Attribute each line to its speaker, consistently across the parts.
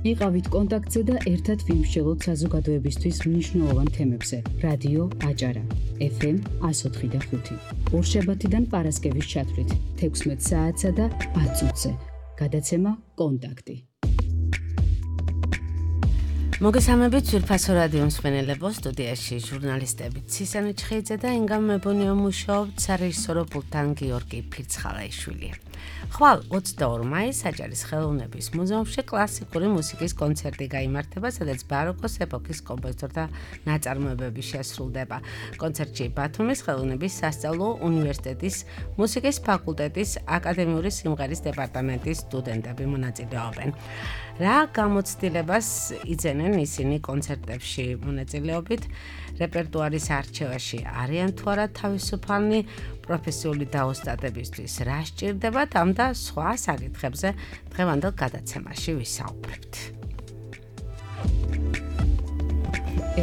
Speaker 1: იყავით კონტაქტზე და ერთად ვიმსჯელოთ საზოგადოებისთვის მნიშვნელოვან თემებზე. რადიო აჭარა, FM 104.5. ორშაბათიდან პარასკევის ჩათვლით 16 საათსა და 10 წუთზე. გადაცემა კონტაქტი.
Speaker 2: მოგესალმებით ძვირფასო რადიო მსმენელებო, სტუდიაში ჟურნალისტები ცისანი ჩხეიძე და ინგა მებონიო მუშაობთ სარეჟისორო პულტთან გიორგი ფირცხალაიშვილი. ხვალ 22 მაისს აჭარის ხელოვნების მუზეუმში კლასიკური მუსიკის კონცერტი გაიმართება, სადაც ბაროკოს ეპოქის კომპოზიტორთა ნაწარმოებები შესრულდება. კონცერტში ბათუმის ხელოვნების სასწავლო უნივერსიტეტის მუსიკის ფაკულტეტის აკადემიური სიმღერის დეპარტამენტის სტუდენტები მონაწილეობენ. რა გამოცდილებას იძენენ ისინი კონცერტებში მონაწილეობით, რეპერტუარის არჩევაში არიან თუ არა თავისუფალნი, პროფესიული დაოსტატებისთვის რა სჭირდებათ, ამ და სხვა საკითხებზე დღევანდელ გადაცემაში ვისაუბრებთ.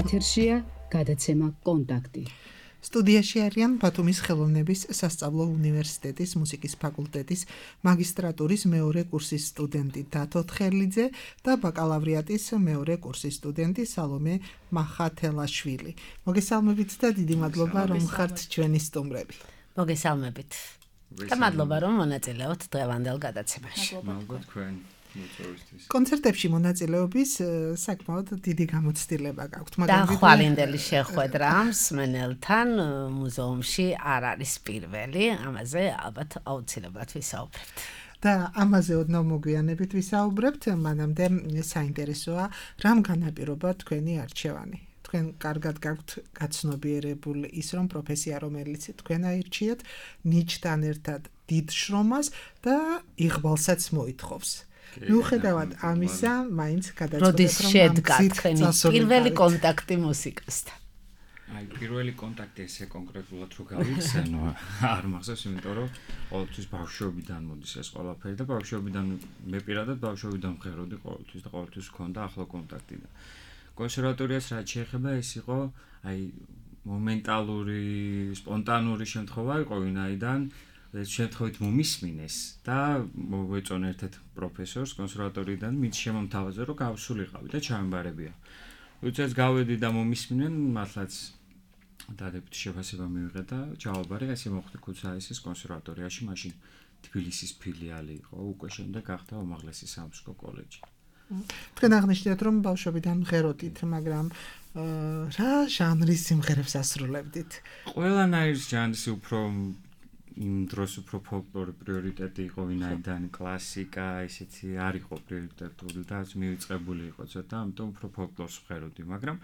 Speaker 1: ეთერშია გადაცემა კონტაქტი.
Speaker 3: სტუდიაში არიან ბათუმის ხელოვნების სასწავლო უნივერსიტეტის მუსიკის ფაკულტეტის მაგისტრატურის მეორე კურსის სტუდენტი დათო თხერლიძე და ბაკალავრიატის მეორე კურსის სტუდენტი სალომე მახათელაშვილი. მოგესალმებით და დიდი მადლობა რომ ხართ ჩვენი სტუმრები.
Speaker 2: მოგესალმებით. და მადლობა რომ მონაწილეობთ დღევანდელ გადაცემაში.
Speaker 4: მადლობა თქვენ.
Speaker 3: კონცერტებში მონაწილეობის საკმაოდ დიდი გამოცდილება გაქვთ,
Speaker 2: მაგრამ ხვალინდელი შეხვედრა მსმენელთან მუზეუმში არ არის პირველი, ამაზე ალბათ აუცილებლად ვისაუბრებთ.
Speaker 3: და ამაზე ოდნავ მოგვიანებით ვისაუბრებთ, მანამდე საინტერესოა რამ განაპირობა თქვენი არჩევანი. თქვენ კარგად გაქვთ გაცნობიერებული ის რომ პროფესია რომელიც თქვენ აირჩიეთ ნიჭთან ერთად დიდ შრომას და იღბალსაც მოითხოვს. მიუხედავად ამისა, მაინც გადაწყვეტეთ რომ
Speaker 2: როდის შედგა თქვენი პირველი კონტაქტი მუსიკასთან?
Speaker 4: აი, პირველი კონტაქტი ესე კონკრეტულად რო გავიხსენო, არ მახსოვს, იმიტომ რომ ყოველთვის ბავშვობიდან მოდის ეს ყველაფერი და ბავშვობიდან მე პირადად ბავშვობიდან მღეროდი ყოველთვის და ყოველთვის მქონდა ახლო კონტაქტი და კონსერვატორიას რაც შეეხება ეს იყო აი მომენტალური, სპონტანური შემთხვევა იყო ვინაიდან ეს შემთხვევით მომისმინეს და მოვეწონა ერთ-ერთ პროფესორს კონსერვატორიიდან მით შემომთავაზე რომ გავსულიყავი და ჩამბარებია. როდესაც გავედი და მომისმინენ, მართლაც დადებითი შეფასება მივიღე და ჩავაბარე, ესე მოხდა ქუთაისის კონსერვატორიაში, მაშინ თბილისის ფილიალი იყო, უკვე შემდეგ გახდა უმაღლესი სამუსიკო კოლეჯი.
Speaker 3: თქვენ აღნიშნეთ რომ ბავშვობიდან მღეროდით, მაგრამ რა ჟანრის სიმღერებს ასრულებდით?
Speaker 4: ყველანაირ ჟანრის უფრო იმ დროს უფრო ფოლკლორი პრიორიტეტი იყო, ვინაიდან კლასიკა ისეთი არ იყო პრიორიტეტული და მივიწყებული იყო ცოტა, ამიტომ უფრო ფოლკლორს ვღეროდი, მაგრამ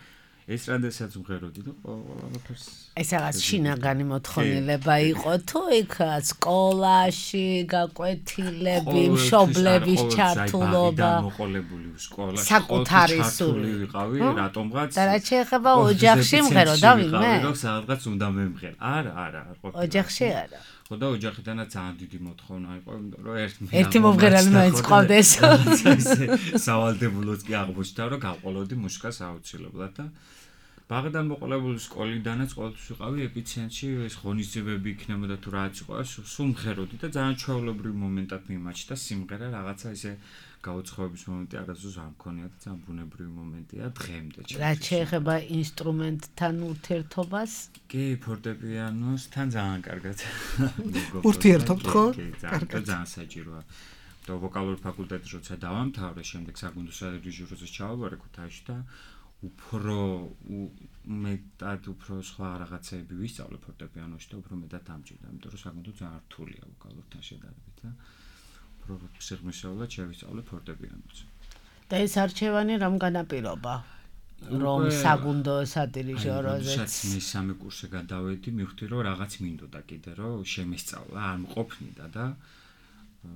Speaker 4: ეს როდესაც ვღეროდი და ყველაფერს
Speaker 2: ეს რაღაც შინაგანი მოთხოვნილება იყო თუ იქ სკოლაში გაკვეთილები, მშობლების ჩართულობა,
Speaker 4: მოყოლებული სკოლაში
Speaker 2: საკუთარი სული
Speaker 4: ვიყავი, რატომღაც
Speaker 2: და რაც შეეხება ოჯახში მღეროდა ვინმე?
Speaker 4: სადღაც უნდა მემღერ. არა,
Speaker 2: ოჯახში არა.
Speaker 4: ხო და ოჯახიდანაც ძალიან დიდი მოთხოვნა იყო, რომ
Speaker 2: ერთი მომღერალი მაინც ყავდეს.
Speaker 4: სავალდებულოც კი აღმოჩნდა, რომ გავყოლოდი მუსიკას აუცილებლად და ბაღიდან მოყოლებული სკოლიდანაც ყოველთვის ვიყავი ეპიცენტრში, ეს ღონისძიებები იქნებოდა თუ რაც იყო, სულ მღეროდი და ძალიან ჩვეულებრივ მომენტად მიმაჩნდა სიმღერა, რაღაცა ისე გაუცხოების მომენტი არასდროს არ მქონია და ძალიან ბუნებრივი მომენტია დღემდე.
Speaker 2: რაც შეეხება ინსტრუმენტთან ურთიერთობას?
Speaker 4: კი, ფორტეპიანოსთან ძალიან კარგად.
Speaker 3: ურთიერთობთ ხო?
Speaker 4: კარგად, ძალიან საჭიროა. და ვოკალური ფაკულტეტი როცა დავამთავრე, შემდეგ საგუნდო სადირიჟოროზე ჩავაბარე ქუთაისში და უფრო მეტად უფრო სხვა რაღაცეები ვისწავლე ფორტეპიანოში და უფრო მეტად ამჭირდა, იმიტომ რომ საგუნდო ძალიან რთულია ვოკალურთან შედარებით და უფრო სიღრმისეულად შევისწავლე ფორტეპიანოზე.
Speaker 2: და ეს არჩევანი რამ განაპირობა? რომ საგუნდო სადირიჟოროზე
Speaker 4: მესამე კურსზე გადავედი, მივხვდი რომ რაღაც მინდოდა კიდე რომ შემესწავლა, არ მყოფნიდა და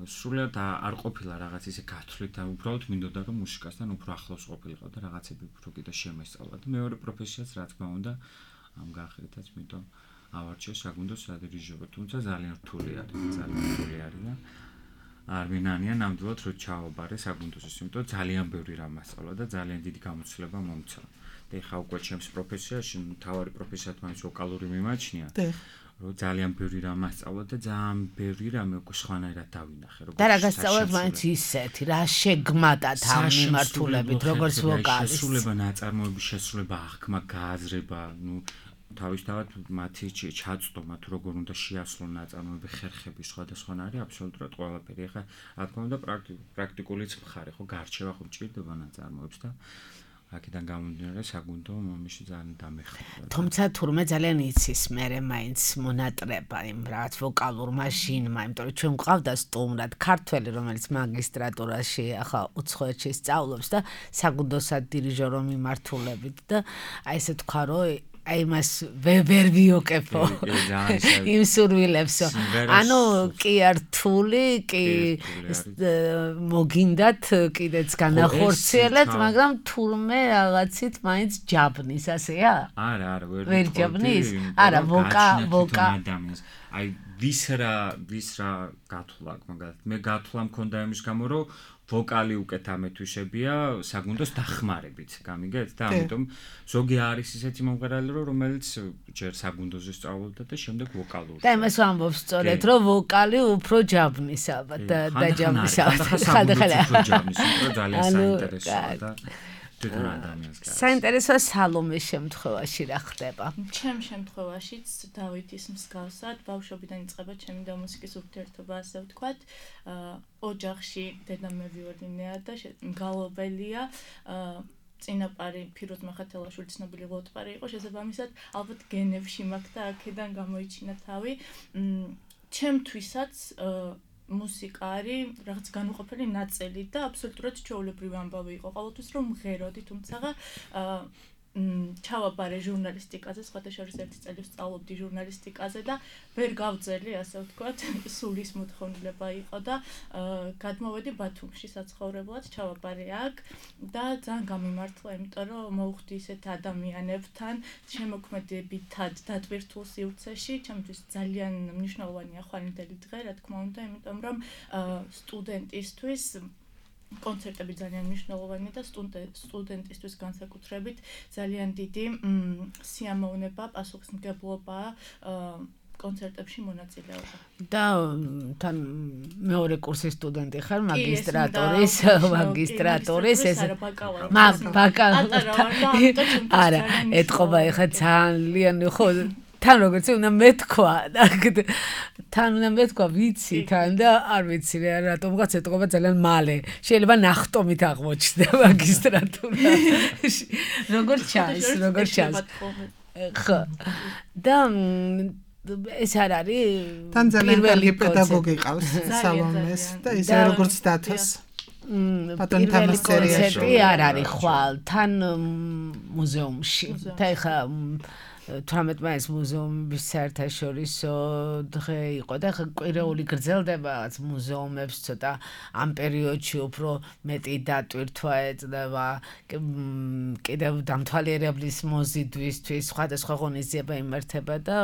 Speaker 4: სრულად არ ყოფილა რაღაც ისე გათვლით, უბრალოდ მინდოდა რომ მუსიკასთან უფრო ახლოს ყოფილიყო და რაღაცები უფრო კიდე შემესწავლა და მეორე პროფესიაც რა თქმა უნდა ამ გაახრეთაც მითო ავარჩიე საგუნდო სადირიჟორო, თუმცა ძალიან რთული არის და არ ვინანია ნამდვილად რომ ჩავაბარე საგუნდოზე, იმიტომ ძალიან ბევრი რამ მასწავლა და ძალიან დიდი გამოცდილება მომცა. და ეხა უკვე ჩემს პროფესიაში, მთავარი პროფესიად მაინც ვოკალური მიმაჩნია. რომ ძალიან ბევრი რამ ასწავლე და ძალიან ბევრი რამ უკვე სხვანაირად დავინახე
Speaker 2: და რა გასწავლეთ მაინც ისეთი რა შეგმატათ ამ მიმართულებით როგორც ვოკალის
Speaker 4: შესრულება ნაწარმოების შესრულება აღქმა გააზრება თავისთავად მათი ჩაწვდომა თუ როგორ უნდა შეასრულონ ნაწარმოები ხერხები სხვადასხვანაირი აბსოლუტურად ყველაფერი ახლა რა თქმა უნდა პრაქტიკულიც მხარე ხო გარჩევა ხო ჭირდება ნაწარმოებს და აქედან გამომდინარე საგუნდო მომში ძალიან დამეხმარა.
Speaker 2: თუმცა თურმე ძალიან იცის მე მაინც მონატრება იმ რაღაც ვოკალურ მაშინმა, იმიტომ რომ ჩვენ გვყავდა სტუმრად ქართველი, რომელიც მაგისტრატურაში ახლა უცხოეთში სწავლობს და საგუნდოსად დირიჟორო მიმართულებით და აი ესე თქვა რომ აი მას ვერ ვიოკეფო იმ სურვილებსო. ანუ კი რთული, კი მოგინდათ კიდეც განახორციელეთ, მაგრამ თურმე რაღაცით მაინც ჯაბნის, ასეა?
Speaker 4: არა,
Speaker 2: ვერ ჯაბნის? არა, ვოკა
Speaker 4: ადამიანს. აი ვის რა გათვლა მაგალითად მე გათვლა მქონდა იმის გამო რომ ვოკალი უკეთ ამეთვისებია საგუნდოს დახმარებით გამიგეთ და ამიტომ ზოგი არის ისეთი მომღერალი რომელიც ჯერ საგუნდოზე სწავლობდა და შემდეგ ვოკალურს
Speaker 2: და იმას ვამბობს სწორედ რომ ვოკალი უფრო ჯაბნის ალბათ და ჯაბნის
Speaker 4: ხანდახან ჯაბნის უფრო ძალიან საინტერესოა და
Speaker 2: საინტერესოა სალომეს შემთხვევაში რა ხდება?
Speaker 5: ჩემ შემთხვევაშიც დავითის მსგავსად ბავშვობიდან იწყება ჩემი და მუსიკის ურთიერთობა, ასე ვთქვათ. ოჯახში დედამ მე ვიოლინეა და მგალობელია. წინაპარი ფიროზ მახათელაშვილი ცნობილი ლოტპარი იყო, შესაბამისად ალბათ გენებში მაქვს და აქედან გამოიჩინა თავი. ჩემთვისაც მუსიკა არის რაღაც განუყოფელი ნაწილი და აბსოლუტურად ჩვეულებრივი ამბავი იყო ყოველთვის რომ მღეროდი, თუმცა ჩავაბარე ჟურნალისტიკაზე, სხვათა შორის ერთი წელი ვსწავლობდი ჟურნალისტიკაზე და ვერ გავძელი, ასე ვთქვათ, სულის მოთხოვნილება იყო და გადმოვედი ბათუმში საცხოვრებლად, ჩავაბარე აქ და ძალიან გამიმართლა, იმიტომ რომ მოვხვდი ისეთ ადამიანებთან, შემოქმედებითად დატვირთულ სივრცეში, ჩემთვის ძალიან მნიშვნელოვანია ხვალინდელი დღე, რა თქმა უნდა, იმიტომ რომ სტუდენტისთვის კონცერტები ძალიან მნიშვნელოვანია და სტუდენტისთვის განსაკუთრებით ძალიან დიდი სიამოვნება, პასუხისმგებლობა კონცერტებში მონაწილეობა.
Speaker 2: და თან მეორე კურსის სტუდენტი ხარ, მაგისტრატურის ეს არა, ეთყობა ეხა ძალიან ხო თან როგორც უნდა მეთქვა ვიცი თან და არ ვიცი რატომღაც ეთყობა ძალიან მალე შეიძლება ნახტომით აღმოჩნდა მაგისტრატურაში როგორ ჩანს ხო და ეს არ არის
Speaker 3: თან ძალიან კარგი პედაგოგი ყავს სალომეს და ისე როგორც დათოს ბატონ თამის
Speaker 2: კონცერტი არ არის ხვალ თან მუზეუმში და ეხა 18 მაისს მუზეუმის საერთაშორისო დღე იყო და ხა კვირეული გრძელდება მუზეუმებს ცოტა ამ პერიოდში უფრო მეტი დატვირთვა ეწდება კიდევ დამთვალიერებლის მოზიდვისთვის სხვადასხვა ღონისძიება იმართება და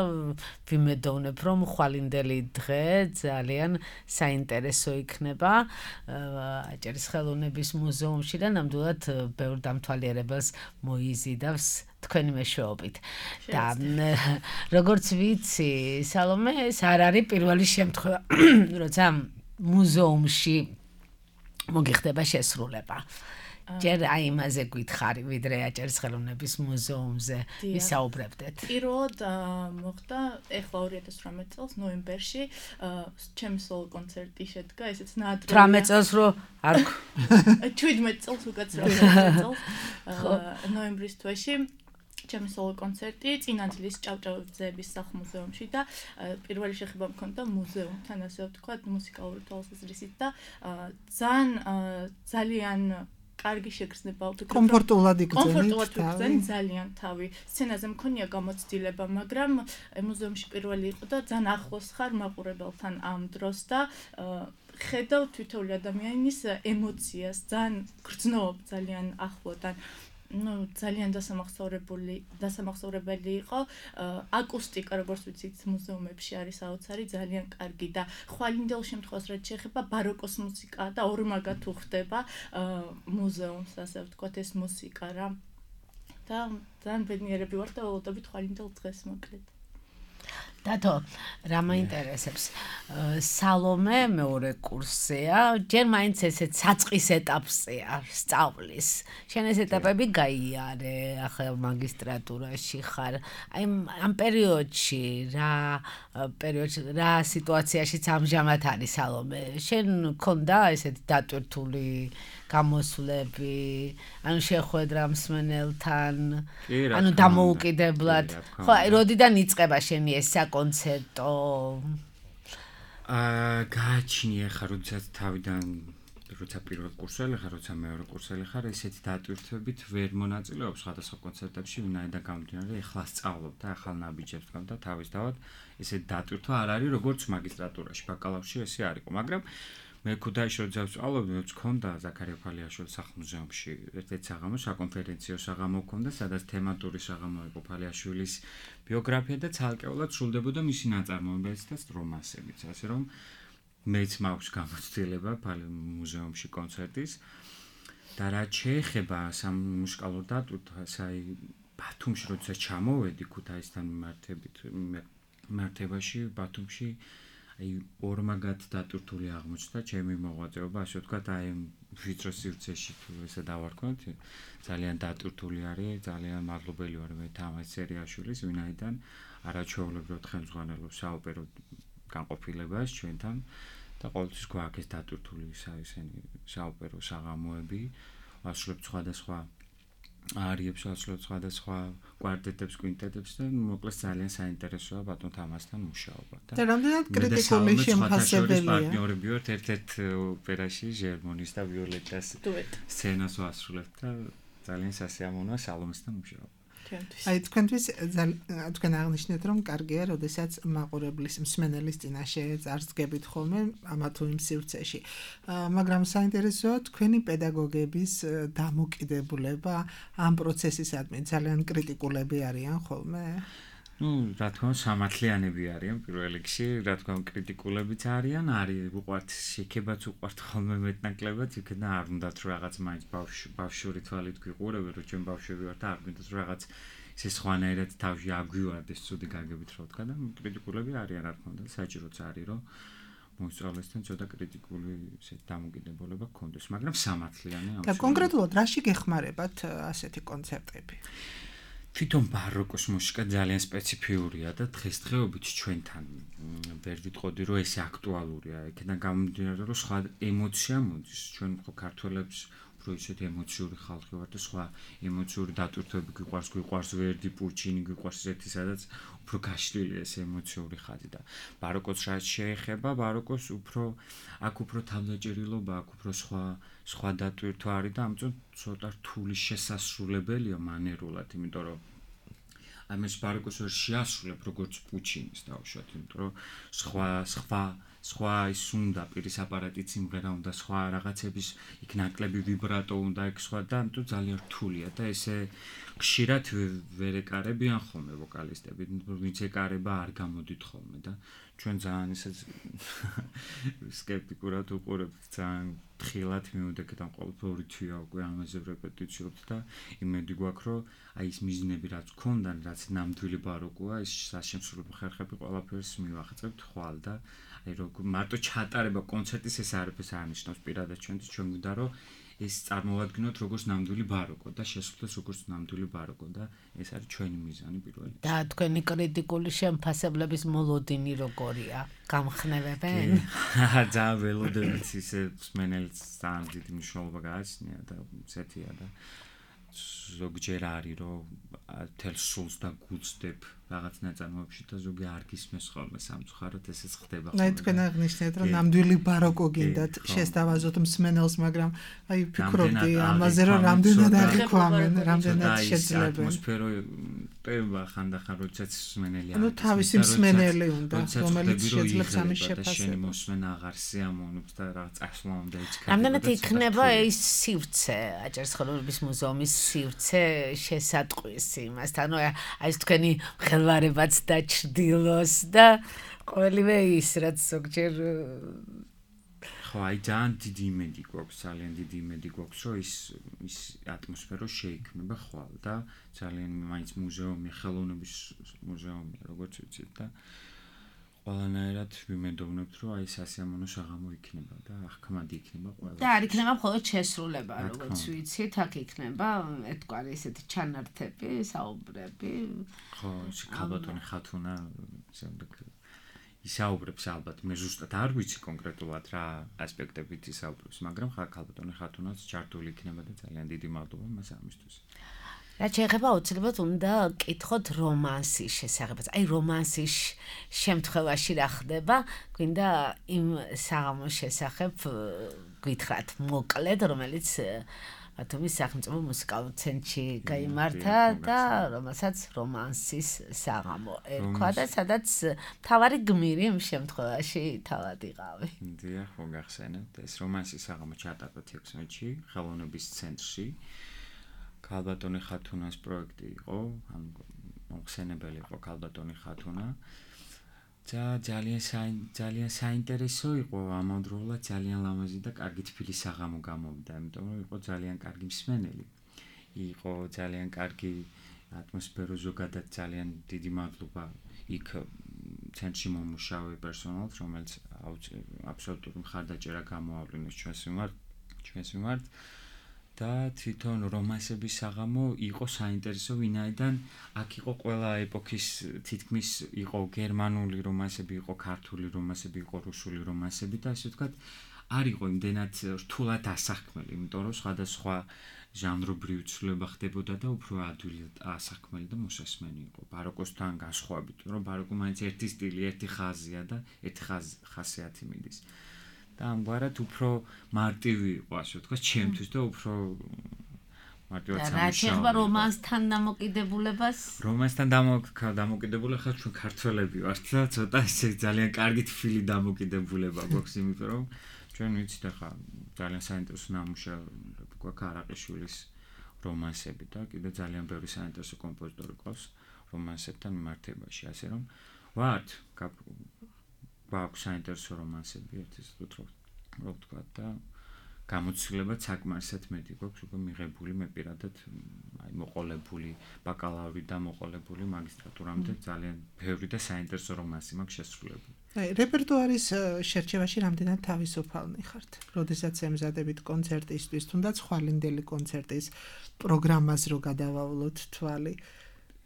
Speaker 2: ვიმედოვნებ რომ ხვალინდელი დღე ძალიან საინტერესო იქნება აჭარის ხელოვნების მუზეუმში და ნამდვილად ბევრ დამთვალიერებელს მოიზიდავს თქვენი მეშვეობით და როგორც ვიცი სალომე ეს არ არის პირველი შემთხვევა როცა მუზეუმში მოგიხდება შესრულება ჯერ აი იმაზე გითხარი ვიდრე აჭარის ხელოვნების მუზეუმზე ვისაუბრებდეთ
Speaker 5: პირველად მოხდა ეხლა 2018 წელს ნოემბერში ჩემი სოლო კონცერტი შედგა ესეც ნაადრევია
Speaker 2: 18 წელს რო არ
Speaker 5: 17 წელს უკაცრავ წელს ნოემბრის თვეში ჩემი სოლო კონცერტი წინადლის ჭავჭავაძეების სახლ-მუზეუმში და პირველი შეხება მქონდა მუზეუმთან, ასე ვთქვათ, მუსიკალური თვალსაზრისით და ძალიან კარგი შეგრძნება ვფიქრობ.
Speaker 3: კომფორტულად იქცენი
Speaker 5: ძალიან თავი. სცენაზე მქონია გამოცდილება, მაგრამ მუზეუმში პირველი იყო და ძალიან ახლოს ხარ მაყურებელთან ამ დროს და ხედავ თითოეული ადამიანის ემოციას, ძალიან გრძნობ ძალიან ახლოდან. ძალიან დასამახსოვრებელი იყო აკუსტიკა როგორც ვიცით მუზეუმებში არის საოცარი ძალიან კარგი და ხვალინდელ შემთხვევას რაც შეეხება ბაროკოს მუსიკა და ორმაგად უხდება მუზეუმს ასე ვთქვათ ეს მუსიკა რა და ძალიან ბედნიერები ვარ და ველოდებით ხვალინდელ დღეს მოკლედ
Speaker 2: დათო, რა მაინტერესებს? სალომე მეორე კურსია, ჯერ მაინც ესეც საწყის ეტაპზეა სწავლის. შენ ეს ეტაპები გაიარე, ახლა მაგისტრატურაში ხარ. აი ამ პერიოდში რა სიტუაციაშიც ამჟამად არის სალომე? შენ მქონდა ესეთი დატვირთული გამოსვლები, ანუ შეხვედრა მსმენელთან, ანუ დამოუკიდებლად. ხო, აი როდიდან იწყება შენი ეს საკონცერტო?
Speaker 4: გააჩნია ხარ, როცა პირველ კურსელი ხარ, როცა მეორე კურსელი ხარ, ესეთი დატვირთვებით ვერ მონაწილეობს სხვადასხვა კონცერტებში, ვინაიდან გამომდინარე, ეხლა სწავლობ და ახალ ნაბიჯებს ვქონდა თავისთავად, ესეთი დატვირთვა არ არის როგორც მაგისტრატურაში, ბაკალავრში ესე არ იყო, მაგრამ მე ქუთაისში როცა ვსწავლობდი, მეც მქონდა ზაქარია ფალიაშვილის სახლ-მუზეუმში ერთ-ერთი საღამო, საკონფერენციო საღამო მქონდა, სადაც თემატური საღამო იყო ფალიაშვილის ბიოგრაფია და ცალკეულად სრულდებოდა მისი ნაწარმოებებიც და სტრომასებიც, ასე რომ მეც მაქვს გამოცდილება მუზეუმში კონცერტის და რაც შეეხება სამუსიკალურ დატვირთვას, აი ბათუმში როცა ჩამოვედი ქუთაისთან მართებაში ბათუმში აი ორმაგად დატვირთული აღმოჩნდა ჩემი მოღვაწეობა, ასე ვთქვათ, აი ვიწრო სივრცეში თუ ესე დავარქვათ, ძალიან დატვირთული არის, ძალიან მადლობელი ვარ მე თამაზ სერიაშვილის, ვინაიდან არაჩვეულებრივად ხელმძღვანელობს საოპერო განყოფილებას ჩვენთან და ყოველთვის გვაქვს ეს დატვირთული ესენი საოპერო საღამოები, ვასრულებთ სხვადასხვა არიებს, ვასრულებთ სხვადასხვა კვარტეტებს, კვინტეტებს და მოკლედ ძალიან საინტერესოა ბატონ თამაზთან მუშაობა.
Speaker 3: და რამდენად კრიტიკული შემფასებელია.
Speaker 4: პარტნიორები ვართ ერთ-ერთ ოპერაში ჟერმონის და ვიოლეტას სცენას ვასრულებთ და ძალიან სასიამოვნოა სალომესთან მუშაობა.
Speaker 3: აი თქვენთვის თქვენ აღნიშნეთ რომ კარგია, როდესაც მაყურებლის მსმენელის წინაშე წარსდგებით ხოლმე ამა თუ იმ სივრცეში. მაგრამ საინტერესოა თქვენი პედაგოგების დამოკიდებულება ამ პროცესისადმი ძალიან კრიტიკულები არიან ხოლმე?
Speaker 4: რა თქმა უნდა, სამართლიანები არიან პირველ რიგში, რა თქმა უნდა, კრიტიკულებიც არიან, უყვართ შექებაც უყვართ ხოლმე მეტნაკლებად, იქიდან არ უნდათ რომ რაღაც მაინც ბავშვური თვალით გვიყურებენ, რომ ჩვენ ბავშვები ვართ და არ გვინდათ რომ რაღაც ისე სხვანაირად თავში აგვივარდეს ცუდი გაგებით რა ვთქვა და კრიტიკულები არიან, რა თქმა უნდა, საჭიროც არის რომ მოსწავლესთან ცოტა კრიტიკული დამოკიდებულება გქონდეს, მაგრამ სამართლიანი
Speaker 3: და კონკრეტულად რაში გეხმარებათ ასეთი კონცერტები?
Speaker 4: თვითონ ბაროკოს მუსიკა ძალიან სპეციფიურია და დღესდღეობით ჩვენთან ვერ ვიტყოდი რომ ეს აქტუალურია. იქიდან გამომდინარე რომ სხვა ემოცია მოდის. ჩვენ ხო ქართველებს უფრო ისეთი ემოციური ხალხი ვართ და სხვა ემოციური დატვირთვები გვიყვარს ვერდი, პუჩინი გვიყვარს ესეთი, სადაც უფრო გაშლილია ეს ემოციური ხაზი და ბაროკოს რაც შეეხება, ბაროკოს აქ უფრო თავდაჭერილობა, აქ უფრო სხვა დატვირთვა არის და ამიტომ ცოტა რთული შესასრულებელია მანერულად, იმიტომ რომ ამას ბაროკოს ვერ შეასრულებ როგორც პუჩინის დავუშვათ, იმიტომ რომ სხვა ის უნდა პირის აპარატით სიმღერა უნდა, სხვა რაღაცების იქ ნაკლები ვიბრატო უნდა, იქ სხვა და ამიტომ ძალიან რთულია და ესე ხშირად ვერ ეკარებიან ხოლმე ვოკალისტები, ვინც ეკარება არ გამოდით ხოლმე და ჩვენ ძალიან ისე სკეპტიკურად უყურებთ, ძალიან თხილად მივდექეთ ამ ყოველდღიური თვია უკვე ამაზე რეპეტიციებთ და იმედი გვაქვს რომ აი ის მიზნები რაც გქონდან, რაც ნამდვილი ბაროკოა, ის საშემსრულებლო ხერხები ყველაფერს მივახცევთ ხვალ და აი როგორ მარტო ჩატარება კონცერტის ეს არაფერს არ ნიშნავს პირადად ჩვენთვის, ჩვენ გვინდა რომ ეს წარმოვადგინოთ როგორც ნამდვილი ბაროკო და შესრულდეს როგორც ნამდვილი ბაროკო და ეს არის ჩვენი მიზანი პირველი.
Speaker 2: და თქვენი კრიტიკული შემფასებლების მოლოდინი როგორია? გამხნევებენ?
Speaker 4: ძალიან ველოდებით ისე მსმენელს ძალიან დიდი მნიშვნელობა გააჩნია და ესეთია და ზოგჯერ არის რომ თელ სულს და გუწდებ რაღაც ნაწარმოებში და ზოგი არ გისმენს ხოლმე სამწუხაროდ ესეც ხდება ხოლმე.
Speaker 3: აი თქვენ აღნიშნეთ რომ ნამდვილი ბაროკო გინდათ შესთავაზოთ მსმენელს, მაგრამ აი ფიქრობდი ამაზე რომ რამდენად აღიქვამენ, რამდენად შეძლებენ.
Speaker 4: ატმოსფერო ტება ხანდახან როდესაც მსმენელი
Speaker 3: არის. ანუ თავისი მსმენელი უნდა, რომელიც შეძლებს ამის შეფასებას.
Speaker 4: შენი მოსმენა აღარ სიამოვნებს და რაღაც წასვლა უნდა იჩქარება.
Speaker 2: რამდენად იქნება ის სივრცე, აჭარისხელობის მუზეუმის სივრცე შესატყვისი იმასთან, აი ეს თქვენი ხელვარებაც დაჩრდილოს და ყოველივე ის რაც ზოგჯერ
Speaker 4: ხო აი ძალიან დიდი იმედი გვაქვს, ძალიან დიდი იმედი გვაქვს, რომ ის ატმოსფერო შეიქმნება ხვალ და ძალიან მაინც მუზეუმი, ხელოვნების მუზეუმი, როგორც ვიცით და ყველანაირად ვიმედოვნებთ, რომ აი სასიამოვნო საღამო იქნება და აღქმადი იქნება ყველა.
Speaker 2: და არ იქნება მხოლოდ შესრულება, როგორც ვიცით, აქ იქნება ერთგვარი ესეთი ჩანართები, საუბრები.
Speaker 4: ხო, ქალბატონი ხათუნა შემდეგ ისაუბრებს ალბათ, მე ზუსტად არ ვიცი კონკრეტულად რა ასპექტებით ისაუბრებს, მაგრამ ქალბატონი ხათუნაც ჩართული იქნება და ძალიან დიდი მადლობა მას ამისთვის.
Speaker 2: რაც შეეხება აუცილებლად უნდა კითხოთ რომანსის შესახებაც. აი რომანსის შემთხვევაში რა ხდება? გვინდა იმ საღამოს შესახებ გითხრათ მოკლედ, რომელიც ბათუმის სახელმწიფო მუსიკალურ ცენტრში გაიმართა და რომელსაც რომანსის საღამო ერქვა და სადაც თავარი გმირი იმ შემთხვევაში თავად იყავი.
Speaker 4: დიახ, მოგახსენებთ, ეს რომანსის საღამო ჩატარდა 16-ში ხელოვნების ცენტრში. ქალბატონი ხათუნას პროექტი იყო, ანუ მოხსენებელი იყო ქალბატონი ხათუნა. ძალიან საინტერესო იყო, ამავდროულად ძალიან ლამაზი და კარგი თბილი საღამო გამოვიდა, იმიტომ რომ იყო ძალიან კარგი მსმენელი. იყო ძალიან კარგი ატმოსფერო, ზოგადად ძალიან დიდი მადლობა იქ ცენტრში მომუშავე პერსონალს, რომელიც აბსოლუტური მხარდაჭერა გამოავლინეს ჩვენს მიმართ. და თვითონ რომანსების საღამო იყო საინტერესო, ვინაიდან აქ იყო ყველა ეპოქის თითქმის იყო გერმანული რომანსები, იყო ქართული რომანსები, იყო რუსული რომანსები და ასე ვთქვათ, არ იყო იმდენად რთულად ასახმელი, იმიტომ რომ სხვადასხვა ჟანრობრივი ცვლილება ხდებოდა და უფრო ადვილად ასახმელი და მოსასმენი იყო. ბაროკოსთან განსხვავებით, რომ ბაროკო მაინც ერთი სტილი, ერთი ხაზია და ერთი ხასიათი მიდის. და ამგვარად უფრო მარტივი იყო, ასე ვთქვათ, ჩემთვის და უფრო მარტივად სამუშაო.
Speaker 2: რა შეიძლება რომანსთან დამოკიდებულებას?
Speaker 4: რომანსთან დამოკიდებულება ხარ ჩვენ ქართველები ვართ და ცოტა ესე ძალიან კარგი თბილი დამოკიდებულება გვაქვს, იმიტომ რომ ჩვენ ვიცით ახლა ძალიან საინტერესო ნამუშევრები გვაქვს არაყიშვილის რომანსები და კიდე ძალიან ბევრი საინტერესო კომპოზიტორი ყავს რომანსებთან მიმართებაში, ასე რომ ვართ გვაქვს საინტერესო რომანსები, ერთის რო ვთქვა და გამოცდილებაც საკმარისად მეტი გვაქვს უკვე მიღებული, მე პირადად აი მოყოლებული ბაკალავრი და მოყოლებული მაგისტრატურამდე ძალიან ბევრი და საინტერესო რომანსი მაქვს შესრულებული.
Speaker 3: აი რეპერტუარის შერჩევაში რამდენად თავისუფალნი ხართ? როდესაც ემზადებით კონცერტისთვის, თუნდაც ხვალინდელი კონცერტის პროგრამას რო გადავავლოთ თვალი.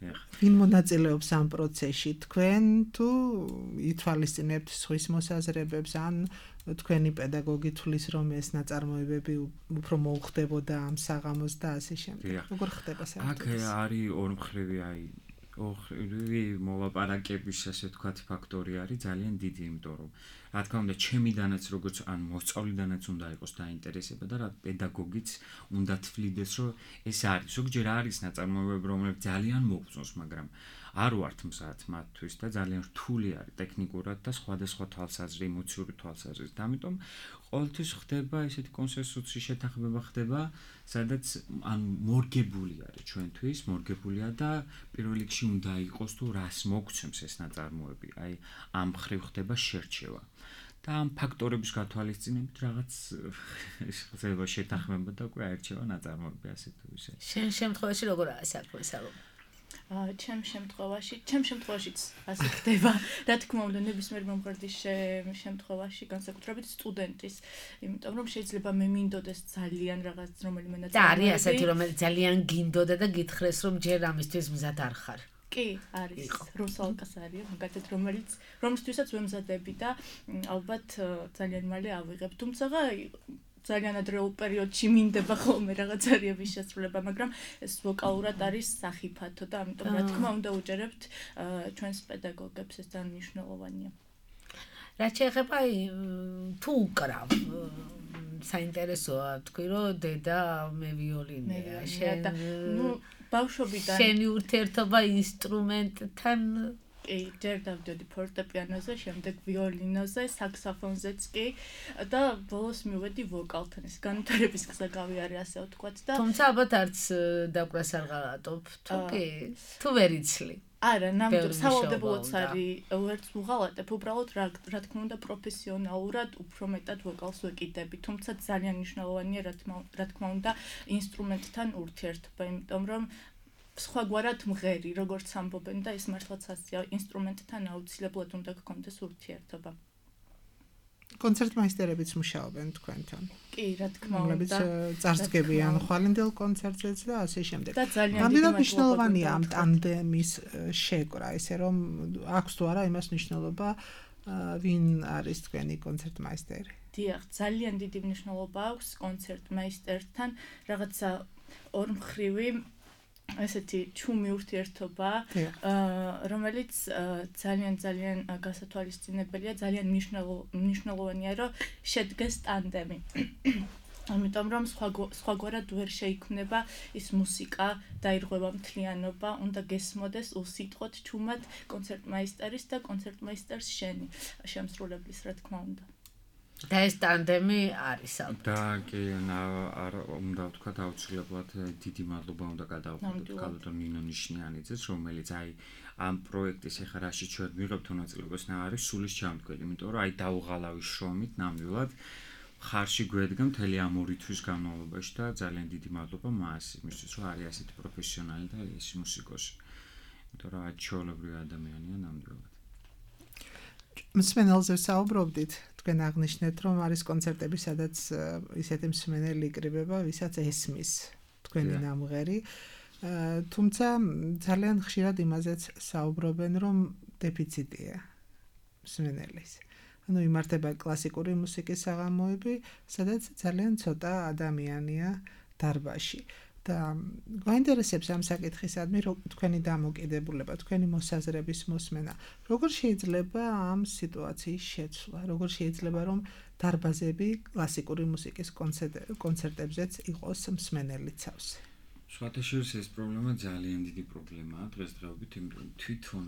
Speaker 3: ვინ მონაწილეობს ამ პროცესში? თქვენ თუ ითვალისწინებთ სხვის მოსაზრებებს, ან თქვენი პედაგოგი თulis რომ ეს ნაწარმოებები უფრო მოუხდებოდა ამ საღამოს და ასე შემდეგ. როგორ ხდება საერთოდ?
Speaker 4: აქ არის ორმხრივი აი ორი მოლაპარაკების ასე ვთქვათ ფაქტორი არის ძალიან დიდი, იმიტომ რომ რა თქმა უნდა ჩემიდანაც როგორც ან მოსწავლიდანაც უნდა იყოს დაინტერესება და რა პედაგოგიც უნდა თვლიდეს რომ ეს არის. ზოგჯერ არის ნაწარმოებები რომლებიც ძალიან მოგწონს, მაგრამ არ ვართ მზად მათთვის და ძალიან რთული არის ტექნიკურად და სხვადასხვა თვალსაზრისით, ემოციური თვალსაზრისით. ამიტომ ყოველთვის ხდება ესეთი კონსენსუსი შეთანხმება ხდება, სადაც ან მორგებული არის ჩვენთვის, მორგებულია და პირველ რიგში უნდა იყოს თუ რას მოგცემს ეს ნაწარმოები. აი ამ ხრივ ხდება შერჩევა. და ამ ფაქტორების გათვალისწინებით რაღაც ხდება შეთანხმება და უკვე აირჩევა ნაწარმოები ასე თუ ისე.
Speaker 2: შენ შემთხვევაში როგორ არის საქმე სალო?
Speaker 5: ჩემ შემთხვევაშიც ასე ხდება, რა თქმა უნდა, ნებისმიერ მომღერლის შემთხვევაში, განსაკუთრებით სტუდენტის, იმიტომ რომ შეიძლება მე მინდოდეს ძალიან რაღაც რომელიმე ნაწარმოები.
Speaker 2: და არის ასეთი, რომელიც ძალიან გინდოდა და გითხრეს, რომ ჯერ ამისთვის მზად არ ხარ.
Speaker 5: კი, არის. რუსალკას არის, მაგათაც რომლისთვისაც ვემზადები და ალბათ ძალიან მალე ავიღებ. თუმცა ძალიან ადრეულ პერიოდში მინდება ხოლმე რაღაც არიების შესრულება, მაგრამ ეს ვოკალურად არის სახიფათო და ამიტომ რა თქმა უნდა უჯერებთ ჩვენს პედაგოგებს, ეს ძალიან მნიშვნელოვანია.
Speaker 2: რაც შეეხება თუ უკრავ საინტერესოა თქვი რომ დედა მე ვიოლინეა, შენ
Speaker 5: ბავშვობიდან
Speaker 2: შენი ურთიერთობა ინსტრუმენტთან
Speaker 5: ჯერ დავდიოდი ფორტეპიანოზე, შემდეგ ვიოლინოზე, საქსოფონზეც კი და ბოლოს მივედი ვოკალთან. ეს განვითარების გზა გავიარე, ასე ვთქვათ და
Speaker 2: თუმცა ალბათ არც დაკვას არ ღალატობ, თუ კი, თუ ვერ იცლი.
Speaker 5: არა, ნამდვილად სავალდებულოც არის, ვერც ვღალატებ, უბრალოდ რა თქმა უნდა პროფესიონალურად უფრო მეტად ვოკალს ვეკიდები, თუმცა ძალიან მნიშვნელოვანია რა თქმა უნდა ინსტრუმენტთან ურთიერთობა, იმიტომ რომ სხვაგვარად მღერი, როგორც ამბობენ და ეს მართლაც ასეა, ინსტრუმენტთან აუცილებლად უნდა გქონდეს ურთიერთობა.
Speaker 3: კონცერტმაისტერებიც მუშაობენ თქვენთან.
Speaker 5: კი, რა თქმა უნდა.
Speaker 3: რომლებიც წარსდგებიან ხვალინდელ კონცერტზეც და ასე შემდეგ.
Speaker 5: და ძალიან
Speaker 3: ნამდვილად მნიშვნელოვანია ამ ტანდემის შეკრა, ისე რომ აქვს თუ არა იმას მნიშვნელობა, ვინ არის თქვენი კონცერტმაისტერი.
Speaker 5: დიახ, ძალიან დიდი მნიშვნელობა აქვს კონცერტმაისტერთან, რაღაცა ორმხრივი ესეთი ჩუმი ურთიერთობა, რომელიც ძალიან გასათვალისწინებელია, ძალიან მნიშვნელოვანია, რომ შედგეს ტანდემი. ამიტომ რომ სხვაგვარად ვერ შეიქმნება ის მუსიკა, დაირღვევა მთლიანობა, უნდა გესმოდეს უსიტყვოდ ჩუმად კონცერტმაისტერის და კონცერტმაისტერს შენი შემსრულებლის, რა თქმა უნდა.
Speaker 2: და ეს ტანდემი არის ალბათ.
Speaker 4: და კი, უნდა ვთქვა აუცილებლად დიდი მადლობა უნდა გადავხადოთ კალოდონ ნინო ნიშნიანიძეს, რომელიც ამ პროექტის ახლა რაშიც ჩვენ მივიღებთ მონაწილეობას არის სულის ჩამდგელი, იმიტომ რომ დაუღალავი შრომით ნამდვილად ხარში გვედგა მთელი ამ 2 თვის განმავლობაში და ძალიან დიდი მადლობა მას იმისთვის, რომ არის ასეთი პროფესიონალი და ეს მუსიკოსი. იმიტომ რომ ჩვეულებრივი ადამიანია ნამდვილად.
Speaker 3: მსმენელზე საუბრობდით, თქვენ აღნიშნეთ, რომ არის კონცერტები, სადაც ისეთი მსმენელი იკრიბება, ვისაც ესმის თქვენი ნამღერი. თუმცა ძალიან ხშირად იმაზეც საუბრობენ, რომ დეფიციტია მსმენელის. ანუ იმართება კლასიკური მუსიკის საღამოები, სადაც ძალიან ცოტა ადამიანია დარბაზში. და გვაინტერესებს ამ საკითხისადმი თქვენი დამოკიდებულება, თქვენი მოსაზრების მოსმენა. როგორ შეიძლება ამ სიტუაციის შეცვლა? როგორ შეიძლება რომ დარბაზები კლასიკური მუსიკის კონცერტებზეც იყოს მსმენელი ცავსე?
Speaker 4: სხვათაშორის ეს პრობლემა ძალიან დიდი პრობლემაა დღესდღეობით, იმიტომ თვითონ